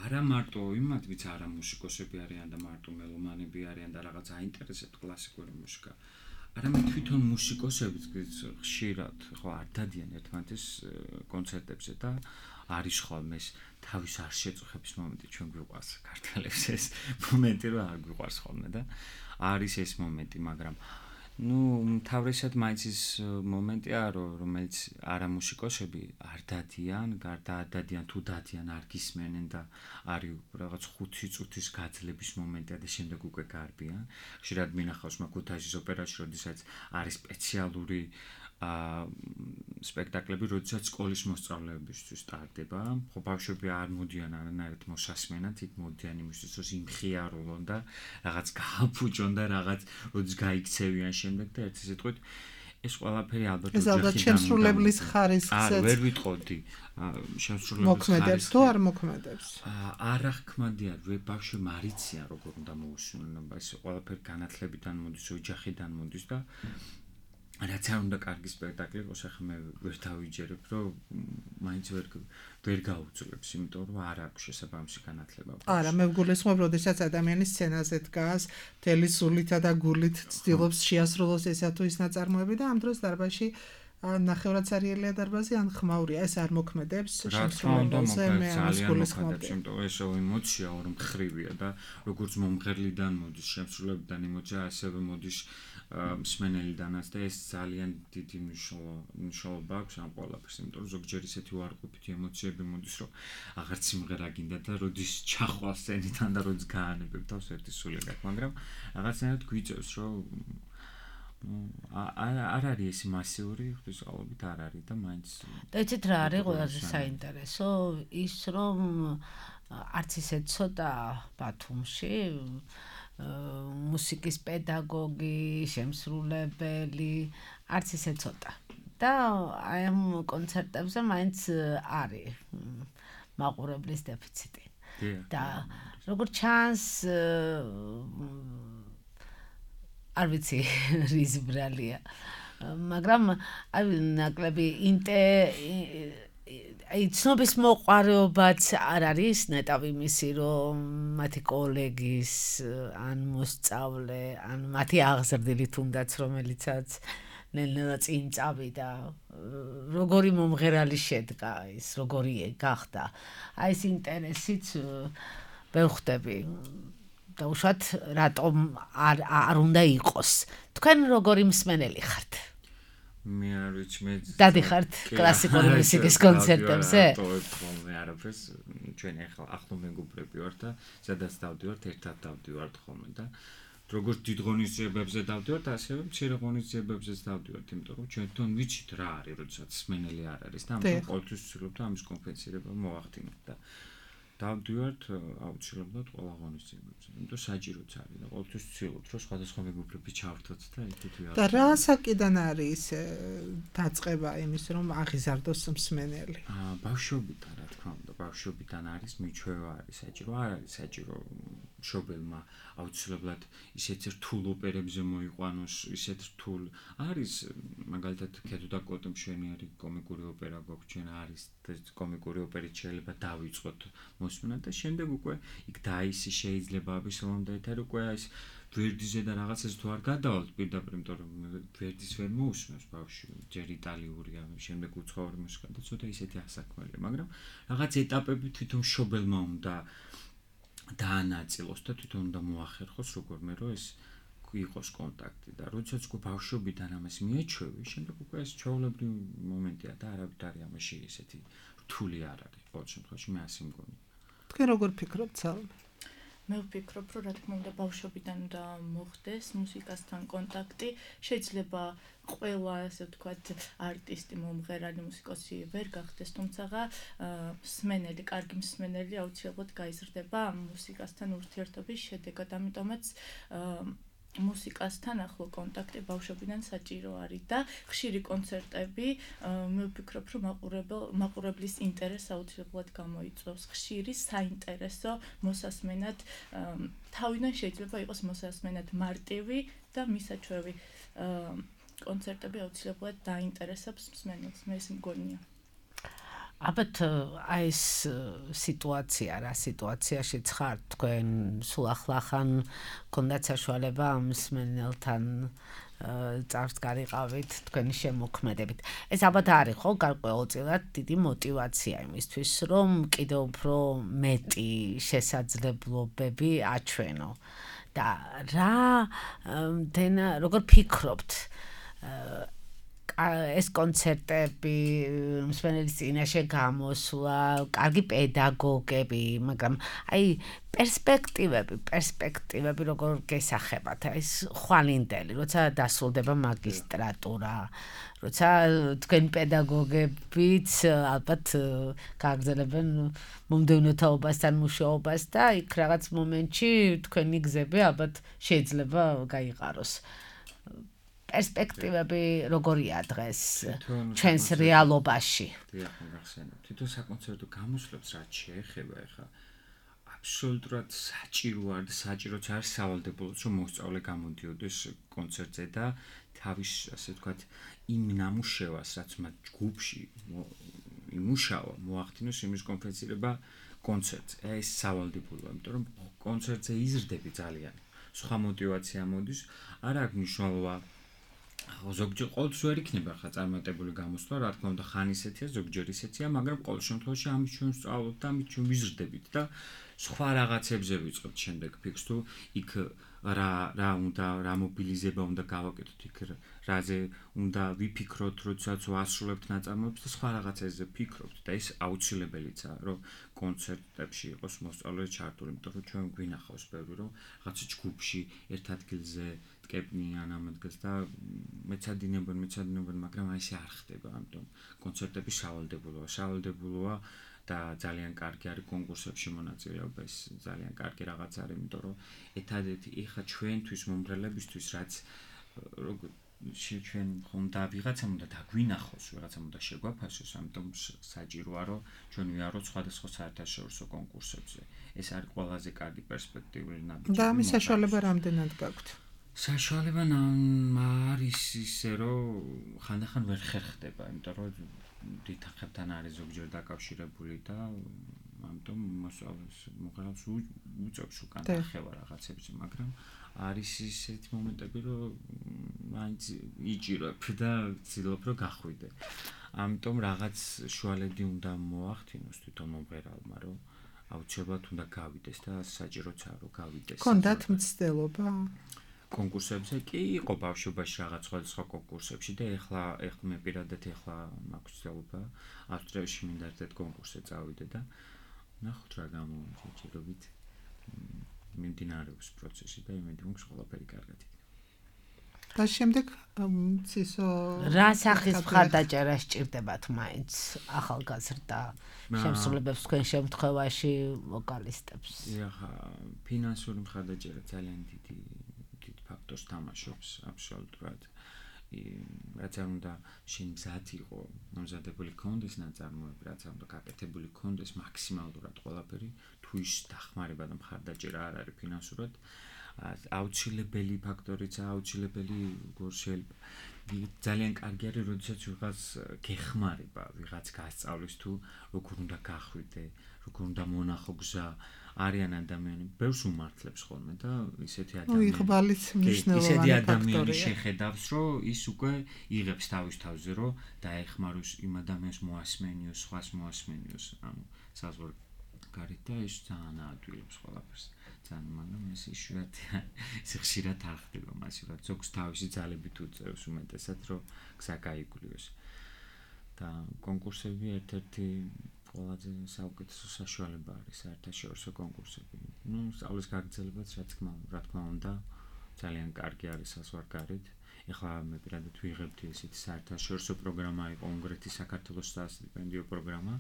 Speaker 4: არა მარტო იმათ, ვიც არა მუსიკოსები არიან და მარტო მელომანები არიან და რაღაც აინტერესებთ კლასიკური მუსიკა. არამედ თვითონ მუსიკოსებიც ხშირად ხო არ დადიან ერთმანეთის კონცერტებზე და არის ხოლმე ეს თავის არ შეწუხების მომენტი ჩვენ გვიყვარს ქართველებს ეს მომენტი რომ არ გვიყვარს ხოლმე და არის ეს მომენტი, მაგრამ თავისად მაინც ის მომენტია, რომელიც არა მუსიკოსები არ დადიან, დადიან თუ დადიან არ გისმენენ და არის რაღაც 5 წუთის გაძლების მომენტია და შემდეგ უკვე გარბიან. ხშირად მინახავს ქუთაისის ოპერაში, როდესაც არის სპეციალური სპექტაკლები, როდესაც სკოლის მოსწავლეებისთვის სტარტდება. ხო, ბავშვები არ მოდიან არანაირად მოსასმენად, იქ მოდიან იმისთვის, რომ იმხიარულონ და რაღაც გააფუჭონ და რაღაც როდის გაიქცევიან შემდეგ და ერთი სიტყვით ეს ყველაფერი ალბათ
Speaker 3: ეს ალბათ შემსრულებლის ხარისხსაც
Speaker 4: ვერ ვიტყოდი შემსრულებლის
Speaker 3: მოქმედებს თუ არ მოქმედებს
Speaker 4: არა ხმადია ბავშვი მარიციან როგორ უნდა მოусმინონ ეს ყველაფერი განათლებიდან მოდის ოჯახიდან მოდის და რაც არ უნდა კარგი სპექტაკლი იყოს, ახლა მე ვერ დავიჯერებ, რომ მაინც ვერ გაუძლებს, იმიტომ რომ არ აქვს შესაბამისი განათლება.
Speaker 3: არა, მე ვგულისხმობ, როდესაც ადამიანი სცენაზე დგას, მთელი სულითა და გულით ცდილობს შეასრულოს ესა თუ ის ნაწარმოები და ამ დროს დარბაზში ნახევრადსარიელია დარბაზი, ან ხმაურია, ეს არ მოქმედებს შემსრულებელზე, მე ამას გულისხმობ.
Speaker 4: იმიტომ რომ ეს ემოცია ორმხრივია და როგორც მომღერლიდან მოდის, შემსრულებელიდან ემოცია, ასევე მოდის მსმენელიდანაც და ეს ძალიან დიდი მნიშვნელობა აქვს ამ ყველაფერს, იმიტომ რომ ზოგჯერ ისეთი უარყოფითი ემოციები მოდის, რომ აღარც სიმღერა გინდა და როდის ჩახვალ სცენიდან და როდის გაანებებ თავს ერთი სული გაქვს, მაგრამ რაღაცნაირად გვიწევს, რომ არ არის ეს მასიური, ღვთისმშობლობით არ არის და მაინც
Speaker 2: და იცით რა არის ყველაზე საინტერესო, ის რომ არც ისე ცოტა ბათუმში მუსიკის პედაგოგი, შემსრულებელი, არც ისე ცოტა. და აი ამ კონცერტებზე მაინც არის მაყურებლის დეფიციტი. და როგორც ჩანს არ ვიცი რის ბრალია, მაგრამ აი ნაკლები აი ცნობის მოყარეობაც არ არის ნეტავი მისი, რომ მათი კოლეგის ან მოსწავლე, ან მათი აღზრდილი თუნდაც, რომელიცაც ნელ-ნელა წინ წავიდა, როგორი მომღერალი შედგა ის, როგორი გახდა. აი ეს ინტერესიც ვერ ხვდები. და უშუალოდ რატომ არ უნდა იყოს. თქვენ როგორი მსმენელი ხართ?
Speaker 4: მე არ ვიცი მე
Speaker 2: დადიხართ კლასიკური მუსიკის კონცერტებზე?
Speaker 4: მე არაფერს ჩვენ ახლა მეგობრები ვართ და სადაც დავდივართ ერთად დავდივართ ხოლმე და როგორც დიდ ღონისძიებებზე დავდივართ, ასევე მცირე ღონისძიებებზეც დავდივართ, იმიტომ რომ ჩვენ თვითონ ვიცით რა არის, როდესაც სმენელი არ არის და ამიტომ ყოველთვის ვცდილობთ ამის კომპენსირება მოვახდინოთ და დავდივართ აუცილებლად ყველა ღონისძიებებზე, იმიტომ საჭიროც არის და ყოველთვის ვცდილობთ, რომ სხვადასხვა მეგობრები ჩავერთოთ და ერთად ვიაროთ. და
Speaker 3: რა საკიდან არის დაწყება იმის, რომ აღიზარდოს მსმენელი?
Speaker 4: ბავშვობიდან, რა თქმა უნდა, ბავშვობიდან არის მიჩვევა არის საჭირო, არ არის საჭირო მშობელმა აუცილებლად ისეთ რთულ ოპერებზე მოიყვანოს, ისეთ რთულ არის მაგალითად ქედო და კოტო მშვენიერი კომიკური ოპერა გვაქვს, ჩვენ არის კომიკური ოპერით შეიძლება დავიწყოთ მოსმენა და შემდეგ უკვე იქ დაისი შეიძლება აბისოლონ და ეთერ უკვე ეს ვერდიზე და რაღაცას თუ არ გადავალთ პირდაპირ, იმიტომ რომ ვერდის ვერ მოусმენს ბავშვი, ჯერ იტალიურია, შემდეგ უცხოური მუსიკა და ცოტა ისეთი ასაქმელია, მაგრამ რაღაც ეტაპები თვითონ მშობელმა უნდა დაანაწილოს და თვითონ უნდა მოახერხოს როგორმე რომ ეს იყოს კონტაქტი და როდესაც უკვე ბავშვობიდან ამას მიეჩვევი, შემდეგ უკვე ეს ჩვეულებრივი მომენტია და არავით არის ამაში ესეთი რთული არ არის. ყოველ შემთხვევაში მე ასე მგონი.
Speaker 3: თქვენ როგორ ფიქრობთ, სალომე?
Speaker 5: მე ვფიქრობ, რომ რა თქმა უნდა ბავშვობიდან უნდა მოხდეს მუსიკასთან კონტაქტი. შეიძლება ყველა ასე ვთქვათ არტისტი, მომღერალი, მუსიკოსი ვერ გახდეს, თუმცა მსმენელი, კარგი მსმენელი აუცილებლად გაიზრდება მუსიკასთან ურთიერთობის შედეგად. ამიტომაც მუსიკასთან ახლო კონტაქტი ბავშვობიდან საჭირო არის და ხშირი კონცერტები მე ვფიქრობ, რომ მაყურებლის ინტერესს აუცილებლად გამოიწვევს. ხშირი საინტერესო მოსასმენად თავიდან შეიძლება იყოს მოსასმენად მარტივი და მისაჩვევი კონცერტები აუცილებლად დაინტერესებს მსმენელს. მე ეს მგონია.
Speaker 2: ალბათ აი ეს სიტუაცია რა სიტუაციაში ხართ თქვენ სულ ახლახან გქონდათ საშუალება ამ მსმენელთან წარს გარიყავით თქვენი შემოქმედებით. ეს ალბათ არის ხო გარკვეულწილად დიდი мотиваცია იმისთვის რომ კიდევ უფრო მეტი შესაძლებლობები აჩვენო და როგორ ფიქრობთ ეს კონცერტები მსმენელის წინაშე გამოსვლა, კარგი პედაგოგები, მაგრამ აი პერსპექტივები როგორ გესახებათ? ეს ხვალინდელი, როცა დასრულდება მაგისტრატურა, როცა თქვენ პედაგოგებიც ალბათ გააგრძელებენ მომდევნო თაობასთან მუშაობას და იქ რაღაც მომენტში თქვენი გზები ალბათ შეიძლება გაიყაროს. პერსპექტივები როგორია დღეს ჩვენს რეალობაში?
Speaker 4: დიახ, მოგახსენებთ. თვითონ საკონცერტო გამოსვლებს რაც შეეხება, ეხა აბსოლუტურად საჭირო არ და საჭიროც არ სავალდებულოც რომ მოსწავლე გამოდიოდეს კონცერტზე და თავის ასე ვთქვათ იმ ნამუშევარს რაც მათ ჯგუფში იმუშავა მოახდინოს იმის კონფერენცირება კონცერტზე. ეს სავალდებულოა, იმიტომ რომ კონცერტზე იზრდები ძალიან. სხვა мотиваცია მოდის, არ აქვს მნიშვნელობა ზოგჯერ ყოველთვის ვერ იქნება ხა წარმატებული გამოსვლა, რა თქმა უნდა ხან ისეთია, ზოგჯერ ისეთია, მაგრამ ყოველ შემთხვევაში ამის ჩვენ ვსწავლობთ და ამის ჩვენ ვიზრდებით და სხვა რაღაცებზე ვიწყებთ შემდეგ ფიქრს თუ იქ რა უნდა რა მობილიზება უნდა გავაკეთოთ, იქ რაზე უნდა ვიფიქროთ, როდესაც ვასრულებთ ნაწარმოებს და სხვა რაღაცებზე ფიქრობთ და ეს აუცილებელიცაა, რომ კონცერტებში იყოს მოსწავლე ჩართული, იმიტომ რომ ჩვენ გვინახავს ბევრი რომ რაღაცა ჯგუფში ერთ ადგილზე ეკებნიან ამ ადგილს და მეცადინებენ, მაგრამ აი ესე არ ხდება, ამიტომ კონცერტები სავალდებულოა და ძალიან კარგი არის კონკურსებში მონაწილეობა, ეს ძალიან კარგი რაღაც არის, იმიტომ რომ ერთადერთი ეხა ჩვენთვის მომღერლებისთვის რაც ჩვენ ხონდა ვიღაცამ უნდა დაგვინახოს, ვიღაცამ უნდა შეგვაფასოს, ამიტომ საჭიროა რომ ჩვენ ვიაროთ სხვადასხვა საერთაშორისო კონკურსებზე. ეს არის ყველაზე კარგი პერსპექტიული ნაბიჯი.
Speaker 3: და ამის საშუალება რამდენად გაქვთ?
Speaker 4: საშუალება არის ისე რომ ხანდახან ვერ ხერხდება, იმიტომ რომ დითხებთან არის ზოგჯერ დაკავშირებული და ამიტომ მოსწავლეს მომღერალს უწევს უკან ახევა რაღაცებზე, მაგრამ არის ისეთი მომენტები, რომ მაინც იჭირებ და ვცდილობ რომ გახვიდე. ამიტომ რაღაც შუალედი უნდა მოახდინოს თვითონ მომღერალმა, რომ აუცილებლად უნდა გავიდეს და საჭიროც არა რომ გავიდეს.
Speaker 3: გქონდათ მცდელობა?
Speaker 4: კონკურსებზე კი იყო ბავშვობაში რაღაც სხვა კონკურსებში და ეხლა მე პირადად ეხლა მაქვს ცდილობა ავსტრიაში მინდა ერთ კონკურსზე წავიდე და ნახოთ რა გამოიჭირებით მიმდინარეობს პროცესი და იმედი მაქვს ყველაფერი კარგად იქნება.
Speaker 3: და შემდეგ ცისო
Speaker 2: რა სახის მხარდაჭერა სჭირდებათ მაინც ახალგაზრდა შემსრულებელს თქვენ შემთხვევაში ვოკალისტებს?
Speaker 4: ეხა ფინანსური მხარდაჭერა ძალიან დიდ ფაქტორს თამაშობს აბსოლუტურად. რაც არ უნდა შენ მზად იყო, მომზადებული ქონდეს ნაწარმოები, რაც არ უნდა გაკეთებული ქონდეს მაქსიმალურად ყველაფერი, თუ ის დახმარება და მხარდაჭერა არ არის ფინანსურად, აუცილებელი ფაქტორიცაა, აუცილებელი შეიძლება. ძალიან კარგი არის, როდესაც ვიღაც გეხმარება, ვიღაც გასწავლის თუ როგორ უნდა გახვიდე, როგორ უნდა მონახო გზა. არიან ადამიანები, ბევრს უმართლებს ხოლმე და ისეთი
Speaker 3: მნიშვნელოვანი
Speaker 4: ადამიანი შეხედავს, რომ ის უკვე იღებს თავის თავზე, რომ დაეხმაროს იმ ადამიანს მოასმენიოს, სხვას მოასმენიოს, ანუ საზღვარ გარეთ და ის ძალიან აადვილებს ყველაფერს. ძალიან, მაგრამ ეს ხშირად არ ხდება მასე, რომ ზოგს თავისი ძალებით უწევს უმეტესად, რომ გზა გაიგულიოს. და კონკურსები ერთ-ერთი ყველაზე საუკეთესო საშუალება არის საერთაშორისო კონკურსები. სწავლის გაგრძელებაც რა თქმა უნდა, ძალიან კარგი არის საზღვარგარეთ. ეხლა მე პირადად ვიღებდი ესეთი საერთაშორისო პროგრამა იყო უნგრეთის საქართველოს სტიპენდიო პროგრამა,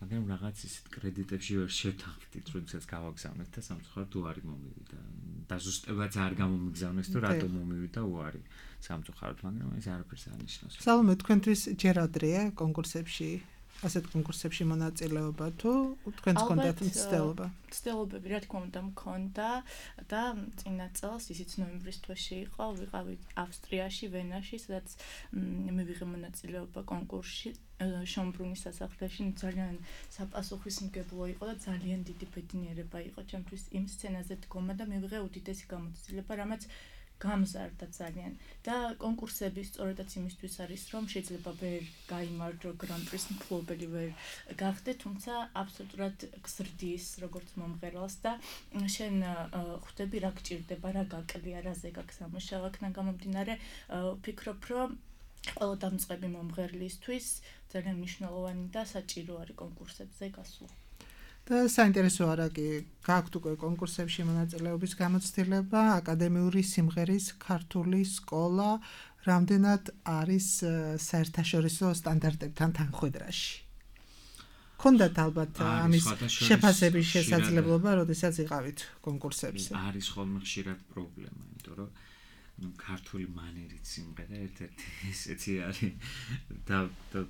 Speaker 4: მაგრამ რაღაც ისეთ კრედიტებში ვერ შევთანხმდით, როდესაც გავაგზავნეთ და სამწუხაროდ უარი მომივიდა. დაზუსტებაც არ გამომიგზავნეს თუ რატომ მომივიდა უარი სამწუხაროდ, მაგრამ ეს არაფერს არ ნიშნავს.
Speaker 3: სალომე, თქვენთვის ჯერ ადრეა კონკურსებში ასეთ კონკურსებში მონაწილეობა თუ თქვენს კონდათ მცდელობა?
Speaker 5: მცდელობები რა თქმა უნდა მქონდა და წინა წელს ისიც ნოემბრის თვეში იყო, ვიყავი ავსტრიაში, ვენაში, სადაც მივიღე მონაწილეობა კონკურსში შონბრუნის სასახლეში. ძალიან საპასუხისმგებლო იყო და ძალიან დიდი ბედნიერება იყო ჩემთვის იმ სცენაზე დგომა და მივიღე უდიდესი გამოცდილება, რამაც გამზარდა ძალიან და კონკურსები სწორედაც იმისთვის არის, რომ შეიძლება ვერ გაიმარჯვო გრან-პრის მფლობელი ვერ გახდე, თუმცა აბსოლუტურად გზრდის როგორც მომღერალს და შენ ხვდები რა გჭირდება, რა გაკლია, რაზე გაქვს სამუშაო, აქედან გამომდინარე ვფიქრობ, რომ ყველა დამწყები მომღერლისთვის ძალიან მნიშვნელოვანი და საჭირო არის კონკურსებზე გასვლა.
Speaker 3: და საინტერესო არა კი გაქვთ უკვე კონკურსებში მონაწილეობის გამოცდილება, აკადემიური სიმღერის ქართული სკოლა რამდენად არის საერთაშორისო სტანდარტებთან თანხვედრაში? ქონდათ ალბათ ამის შეფასების შესაძლებლობა, როდესაც იყავით კონკურსებზე?
Speaker 4: არის ხოლმე ხშირად პრობლემა, იმიტომ რომ ქართული მანერით სიმღერა ერთ-ერთი ესეთი არის და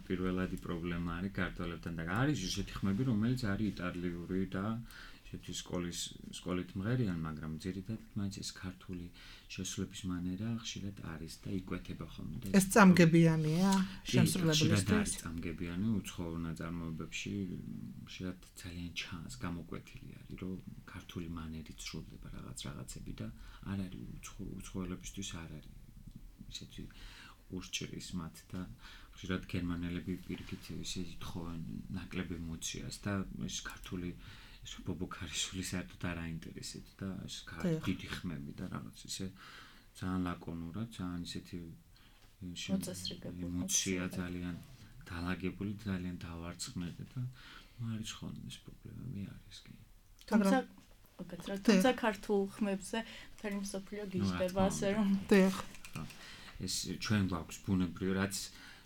Speaker 4: პირველადი პრობლემა არის ქართველებთან და არის ისეთი ხმები, რომელიც არის იტალიური და ესეთი სკოლით მღერიან, მაგრამ ძირითადად მაინც ეს ქართული შესრულების მანერა ხშირად არის და იკვეთება ხოლმე.
Speaker 3: ეს წამგებიანია შემსრულებლისთვის?
Speaker 4: არის წამგებიანი, უცხოურ ნაწარმოებებში ხშირად ძალიან ჩანს, გამოკვეთილი არის, რომ ქართული მანერით სრულდება რაღაცები და არ არის უცხოელებისთვის არ არის ისეთი ურჭრის მათ და ხშირად გერმანელები პირიქით ისე ითხოვენ ნაკლებ ემოციას და ეს ქართული ეს ბობოქარიშვილი საერთოდ არ აინტერესებს და ეს დიდი ხმები და რაღაც ისე ძალიან ლაკონურად, ძალიან ისეთი ემოცია ძალიან დალაგებული, ძალიან დავარცხნილი და არის ხოლმე ეს პრობლემები არის კი.
Speaker 5: თუმცა ქართულ ხმებზე მთელი მსოფლიო გიждდება, ასე რომ
Speaker 4: ეს ჩვენ გვაქვს ბუნებრივი, რაც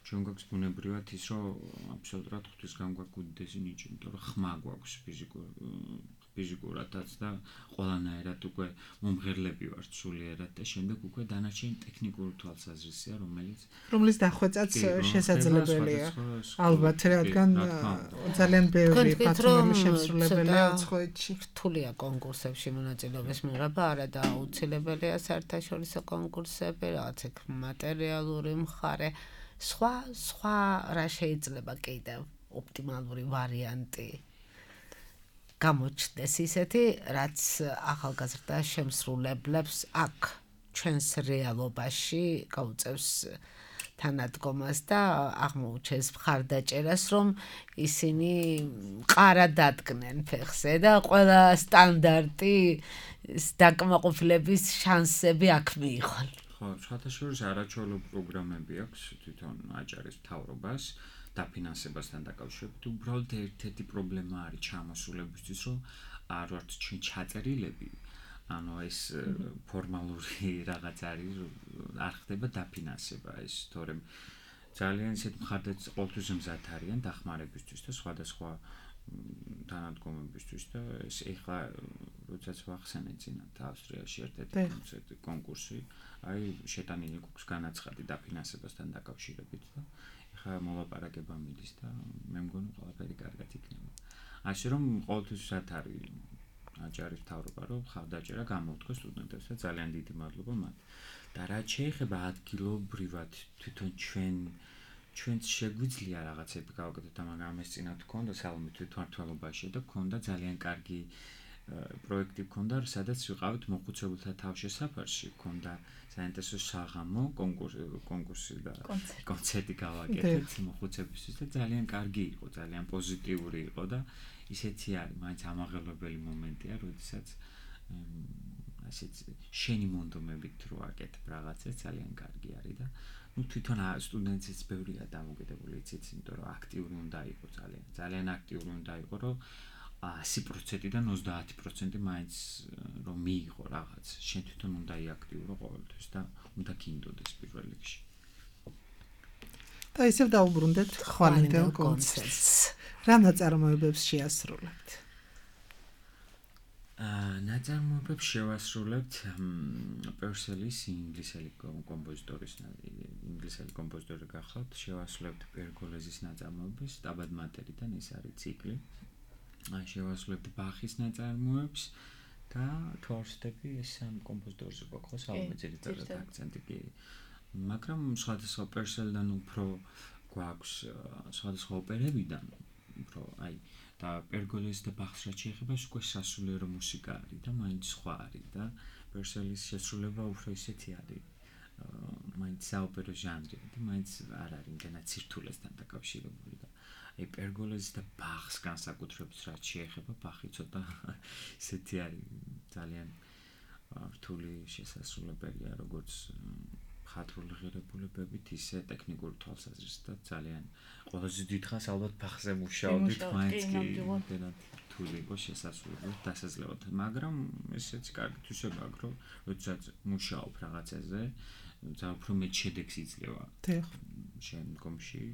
Speaker 4: ჩვენ გვაქვს ბუნებრივად ის, რომ აბსოლუტურად ღვთისგან გვაქვს უდიდესი ნიჭი, იმიტომ რომ ხმა გვაქვს ფიზიკურადაც და ყველანაირად უკვე მომღერლები ვართ სულიერად და შემდეგ უკვე დანარჩენი ტექნიკური თვალსაზრისია,
Speaker 3: რომლის დახვეწაც შესაძლებელია. ალბათ, რადგან ძალიან ბევრი პატრონული შემსრულებელია უცხოეთში.
Speaker 2: რთულია კონკურსებში მონაწილეობის მიღება, არა და აუცილებელია საერთაშორისო კონკურსები, რაღაც ეგ მატერიალური მხარე. სხვა რა შეიძლება კიდევ ოპტიმალური ვარიანტი გამოჩნდეს ისეთი, რაც ახალგაზრდა შემსრულებლებს აქ ჩვენს რეალობაში გაუწევს თანადგომას და აღმოუჩენს მხარდაჭერას, რომ ისინი ყარა დადგნენ ფეხზე და ყველა სტანდარტი დაკმაყოფილების შანსები აქ მიიღონ.
Speaker 4: ხო, შეთაშორის არაჩვეულო პროგრამები აქვს თვითონ აჭარის მთავრობას დაფინანსებასთან დაკავშირებით. უბრალოდ ერთ-ერთი პრობლემა არის ჩამოსულებისთვის, რომ არ ვართ ჩაწერილები, ანუ ეს ფორმალური რაღაც არის, არ ხდება დაფინანსება ეს, თორემ ძალიან ისეთ მხარდაჭერას ყოველთვის მზად არიან დახმარებისთვის და სხვადასხვა თანადგომებისთვის და ეს ეხლა როდესაც ვახსენეთ წინათ ავსტრიაში ერთ-ერთი კონკურსი, აი შეტანილი გვაქვს განაცხადი დაფინანსებასთან დაკავშირებით და ეხლა მოლაპარაკება მიდის და მე მგონი ყველაფერი კარგად იქნება. ასე რომ ყოველთვის მზად არის აჭარის მთავრობა, რომ ხარდაჭერა გამოუთხოს სტუდენტებს და ძალიან დიდი მადლობა მათ. და რაც შეეხება ადგილობრივად თვითონ ჩვენც შეგვიძლია რაღაცები გავაკეთოთ, მაგრამ ეს წინათ გქონდა სალომე თვითმმართველობაში და გქონდა ძალიან კარგი პროექტი გქონდა, სადაც ვიყავით მოხუცებულთა თავშესაფარში, გქონდა საინტერესო საღამო კონკურსი და კონცერტი გავაკეთეთ მოხუცებისთვის და ძალიან კარგი იყო, ძალიან პოზიტიური იყო და ისეთი არის, მაინც ამაღელვებელი მომენტია, როდესაც ასეთ შენი მონდომებით რო აკეთებ რაღაცას, ძალიან კარგი არის და თვითონ სტუდენტებიც ბევრია დამოკიდებული იცით, იმიტომ რომ აქტიური უნდა იყოს ძალიან აქტიური უნდა იყოს, რომ 100%-დან 30% მაინც რომ მიიღო რაღაც. შენ თვითონ უნდა იაქტივრო ყოველთვის და უნდა გინდოდეს პირველ რიგში.
Speaker 3: და ისევ დაუბრუნდეთ ხვალინდელ კონცერტს. რა ნაწარმოებებს შეასრულებთ?
Speaker 4: ნაწარმოებებს შევასრულებთ პერსელის ინგლისელი კომპოზიტორი გახლავთ, შევასრულებთ პერგოლეზის ნაწარმოებებს, სტაბად მატერიდან ეს არის ციკლი. შევასრულებთ ბახის ნაწარმოებს და თორსტები ეს ამ კომპოზიტორზე გვაქვს სალომე ძირითადად აქცენტი კი. მაგრამ სხვადასხვა პერსელიდან უფრო გვაქვს სხვადასხვა ოპერებიდან უფრო აი და პერგოლეზს და ბახს რაც შეეხება უკვე სასულიერო მუსიკა არის და მაინც სხვა არის და პერსელის შესრულება უფრო ისეთი არის მაინც საოპერო ჟანრი და მაინც არ არის იმდენად სირთულესთან დაკავშირებული და აი პერგოლეზს და ბახს განსაკუთრებით რაც შეეხება ბახი ცოტა ისეთი არის ძალიან რთული შესასრულებელია როგორც ხატრული ღირებულებებით ისე ტექნიკური თვალსაზრისით და ძალიან ყველაზე დიდხანს ალბათ ბახზე მუშაობდით მაინც კი იმდენად რთული იყო შესასრულებლად დასაძლევად მაგრამ ესეც კარგი თვისება აქვს რომ როდესაც მუშაობ რაღაცაზე ძალიან უფრო მეტ შედეგს იძლევა შემდგომში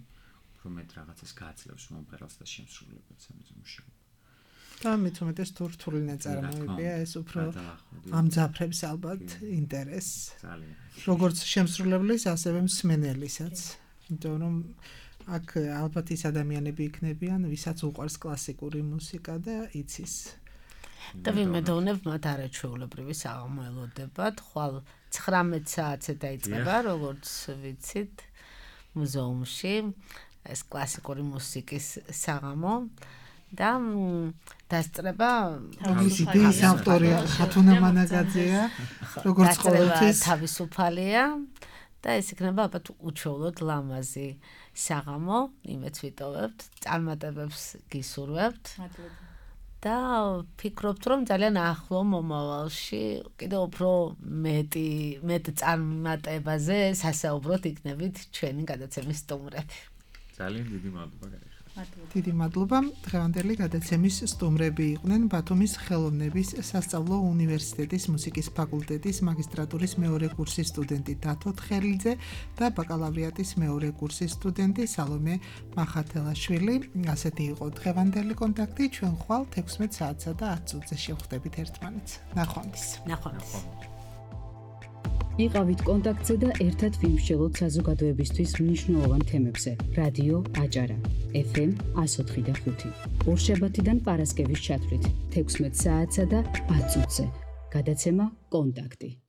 Speaker 4: უფრო მეტ რაღაცას გაძლევს მომღერალს და შემსრულებელს ამაზე მუშაობა
Speaker 3: და მით უმეტეს თუ რთული ნაწარმოებია ეს უფრო ამძაფრებს ალბათ ინტერესს როგორც შემსრულებლის ასევე მსმენელისაც იმიტომ რომ აქ ალბათ ის ადამიანები იქნებიან ვისაც უყვარს კლასიკური მუსიკა და იცის
Speaker 2: და ვიმედოვნებ მათ არაჩვეულებრივი საღამო ელოდებათ ხვალ 19 საათზე დაიწყება როგორც ვიცით მუზეუმში ეს კლასიკური მუსიკის საღამო და დასწრება
Speaker 3: რომლის იდეის ავტორია ხათუნა მანაგაძეა როგორც ყოველთვის
Speaker 2: თავისუფალია და ეს იქნება ალბათ უჩვეულოდ ლამაზი საღამო იმეც ვიტოვებთ წარმატებებს გისურვებთ და ფიქრობთ რომ ძალიან ახლო მომავალში კიდევ უფრო მეტ წარმატებაზე სასაუბროთ იქნებით ჩვენი გადაცემის სტუმრები
Speaker 4: ძალიან დიდი მადლობა
Speaker 3: დიდი მადლობა. დღევანდელი გადაცემის სტუმრები იყვნენ ბათუმის ხელოვნების სასწავლო უნივერსიტეტის მუსიკის ფაკულტეტის მაგისტრატურის მეორე კურსის სტუდენტი დათო თხელიძე და ბაკალავრიატის მეორე კურსის სტუდენტი სალომე მახათელაშვილი. ასეთი იყო დღევანდელი კონტაქტი. ჩვენ ხვალ 16 საათსა და 10 წუთზე შევხვდებით ერთმანეთს. ნახვამდის.
Speaker 1: იყავით კონტაქტზე და ერთად ვიმსჯელოთ საზოგადოებისთვის მნიშვნელოვან თემებზე. რადიო აჭარა FM 104.5. ორშაბათიდან პარასკევის ჩათვლით 16 საათსა და 10 წუთზე. გადაცემა კონტაქტი.